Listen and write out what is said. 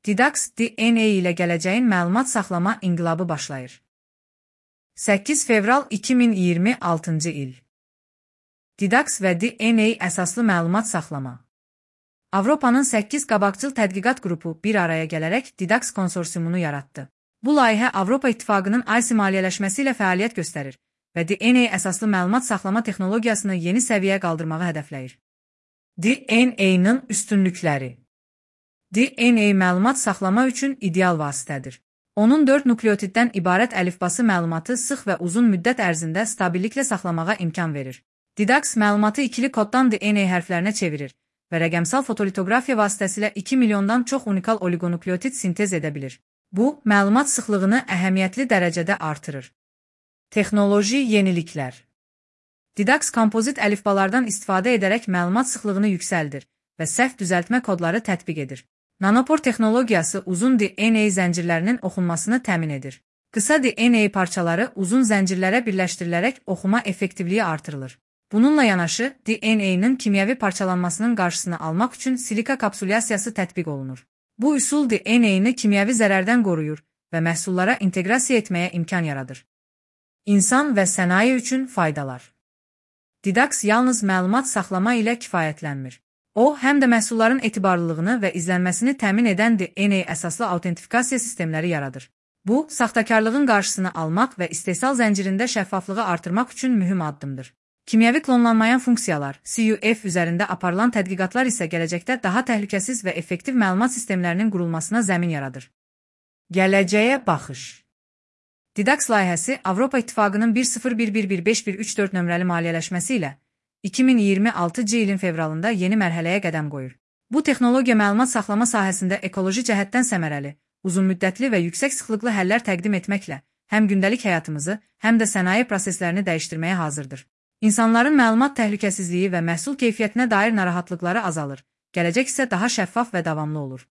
Didax DNA ilə gələcəyin məlumat saxlama inqilabı başlayır. 8 fevral 2026-cı il. Didax və DNA əsaslı məlumat saxlama. Avropanın 8 qabaqcıl tədqiqat qrupu bir araya gələrək Didax konsorsiumunu yaratdı. Bu layihə Avropa İttifaqının IC maliyyələşməsi ilə fəaliyyət göstərir və DNA əsaslı məlumat saxlama texnologiyasını yeni səviyyəyə qaldırmağı hədəfləyir. DNA-nın üstünlükləri. DNA məlumat saxlama üçün ideal vasitədir. Onun 4 nukleotiddən ibarət əlifbası məlumatı sıx və uzun müddət ərzində stabilliklə saxlamağa imkan verir. Didax məlumatı ikili koddan DNA hərflərinə çevirir və rəqəmsal fotolitoqrafiya vasitəsilə 2 milyondan çox unikal oligonukleotid sintez edə bilir. Bu, məlumat sıxlığını əhəmiyyətli dərəcədə artırır. Texnoloji yeniliklər. Didax kompozit əlifbalardan istifadə edərək məlumat sıxlığını yüksəldir və səhv düzəltmə kodları tətbiq edir. Nanopor texnologiyası uzun DNA zəncirlərinin oxunmasını təmin edir. Qısa DNA parçaları uzun zəncirlərə birləşdirilərək oxuma effektivliyi artırılır. Bununla yanaşı, DNA-nın kimyəvi parçalanmasının qarşısını almaq üçün silika kapsulyasiyası tətbiq olunur. Bu üsul DNA-nı kimyəvi zərərdən qoruyur və məhsullara inteqrasiya etməyə imkan yaradır. İnsan və sənaye üçün faydalar. Didax yalnız məlumat saxlama ilə kifayətlənmir. O, həm də məhsulların etibarlılığını və izlənməsini təmin edən DNA əsaslı autentifikasiya sistemləri yaradır. Bu, saxtakarlığın qarşısını almaq və istehsal zəncirində şəffaflığı artırmaq üçün mühüm addımdır. Kimyəvi klonlanmayan funksiyalar, CUF üzərində aparılan tədqiqatlar isə gələcəkdə daha təhlükəsiz və effektiv məlumat sistemlərinin qurulmasına zəmin yaradır. Gələcəyə baxış. Didax layihəsi Avropa İttifaqının 10111534 nömrəli maliyyələşməsi ilə 2026-cı ilin fevralında yeni mərhələyə qədəm qoyur. Bu texnologiya məlumat saxlama sahəsində ekoloji cəhətdən səmərəli, uzunmüddətli və yüksək sıxlıqlı həllər təqdim etməklə həm gündəlik həyatımızı, həm də sənaye proseslərini dəyişdirməyə hazırdır. İnsanların məlumat təhlükəsizliyi və məhsul keyfiyyətinə dair narahatlıqları azalır, gələcək isə daha şəffaf və davamlı olur.